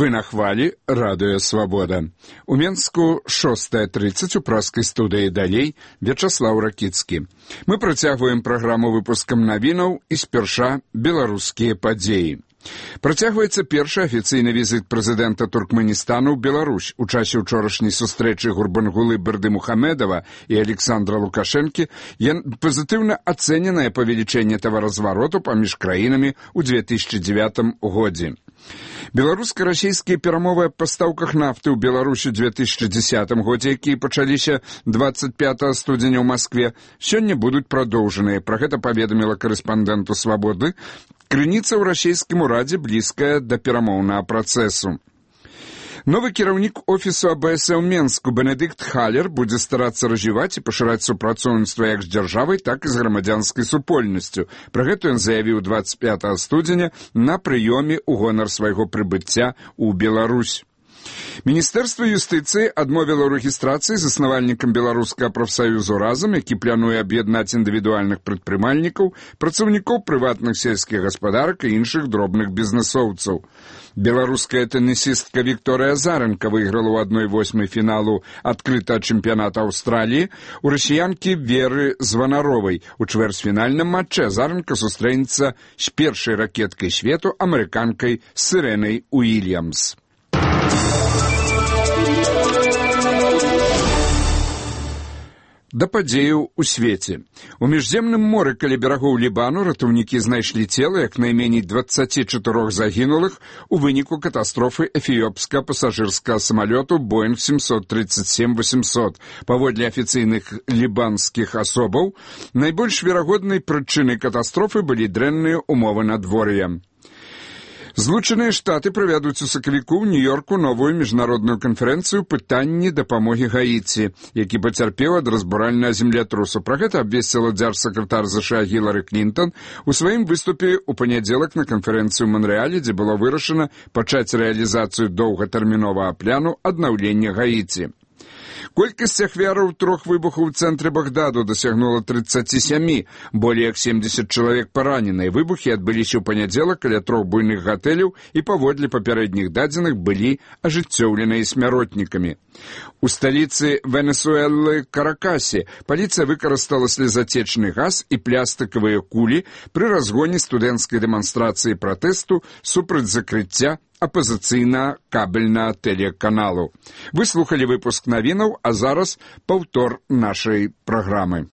Вы на хвалі радыё «Свабода». У Менску 6:30 у праскай студыі «Далей» Вячаслаў Ракіцкі. Мы працягваем праграму выпускам навінаў і спярша беларускія падзеі. Працягваецца першы афіцыйны візіт прэзідэнта Туркменістану ў Беларусь. У часе ўчорашняй сустрэчы Гурбангулы Бердымухамедова і Александра Лукашэнкі пазітыўна ацэненае павелічэнне таваразвароту паміж краінамі ў 2009 годзе. Беларуска-расійскія перамовы аб пастаўках нафты ў Беларусі ў 2010 годзе, якія пачаліся 25 студзеня ў Маскве, сёння будуць прадоўжаныя. Пра гэта паведаміла карэспандэнту «Свабоды» крыніца ў расійскім урадзе, блізкая да перамоўнага працэсу. Новы кіраўнік офісу АБС ў Менску Бенедыкт Халер будзе старацца развіваць і пашыраць супрацоўніцтва як з дзяржавай, так і з грамадзянскай супольнасцю. Пра гэта ён заявіў 25 студзеня на прыёме ў гонар свайго прыбыцця ў Беларусь. Міністэрства юстыцыі адмовіла ў рэгістрацыі заснавальнікам беларускага прафсаюзу «Разам», які плануе аб'яднаць індывідуальных прадпрымальнікаў, працаўнікоў прыватных сельскіх гаспадарак і іншых дробных бізнэсоўцаў. Беларуская тэнісістка Вікторыя Азарэнка выйграла ў 1/8 фіналу адкрытага чэмпіяната Аўстраліі у расіянкі Веры Званаровай. У чвэрцьфінальным матчы Азарэнка сустрэнецца з першай ракеткай свету, амерыканкай Сірэнай Уільямс. Да падзеяў у свеце. У міжземным моры каля берагоў Лібану ратаўнікі знайшлі цела як найменей 24 загінулых у выніку катастрофы эфіопскага пасажырскага самалёту Боинг 737-800. Паводле афіцыйных лібанскіх асобаў, найбольш верагоднай прычынай катастрофы былі дрэнныя умовы надвор'я. Злучаныя Штаты правядуць у сакавіку ў Нью-Йорку новую міжнародную канферэнцыю пытанні дапамогі Гаіці, які пацярпеў ад разбуральнага землятрусу. Пра гэта абвесціла дзяржсакратар США Гілары Клінтон у сваім выступе ў панядзелак на канферэнцыі ў Манрэале, дзе было вырашана пачаць рэалізацыю доўгатэрміновага пляну аднаўлення Гаіці. Колькасць ахвяраў 3 выбухаў у цэнтры Багдаду дасягнула 37, болей як 70 чалавек параненыя. Выбухі адбыліся ў панядзелак каля 3 буйных гатэляў і паводле папярэдніх дадзеных былі ажыццёўленыя смяротнікамі. У сталіцы Венесуэлы Каракасе паліцыя выкарыстала слезатечны газ і пластыкавыя кулі пры разгоне студэнцкай дэманстрацыі пратэсту супраць закрыцця апазіцыйна-кабельнага тэлеканалу. Вы слухалі выпуск навінаў, а зараз паўтор нашай праграмы.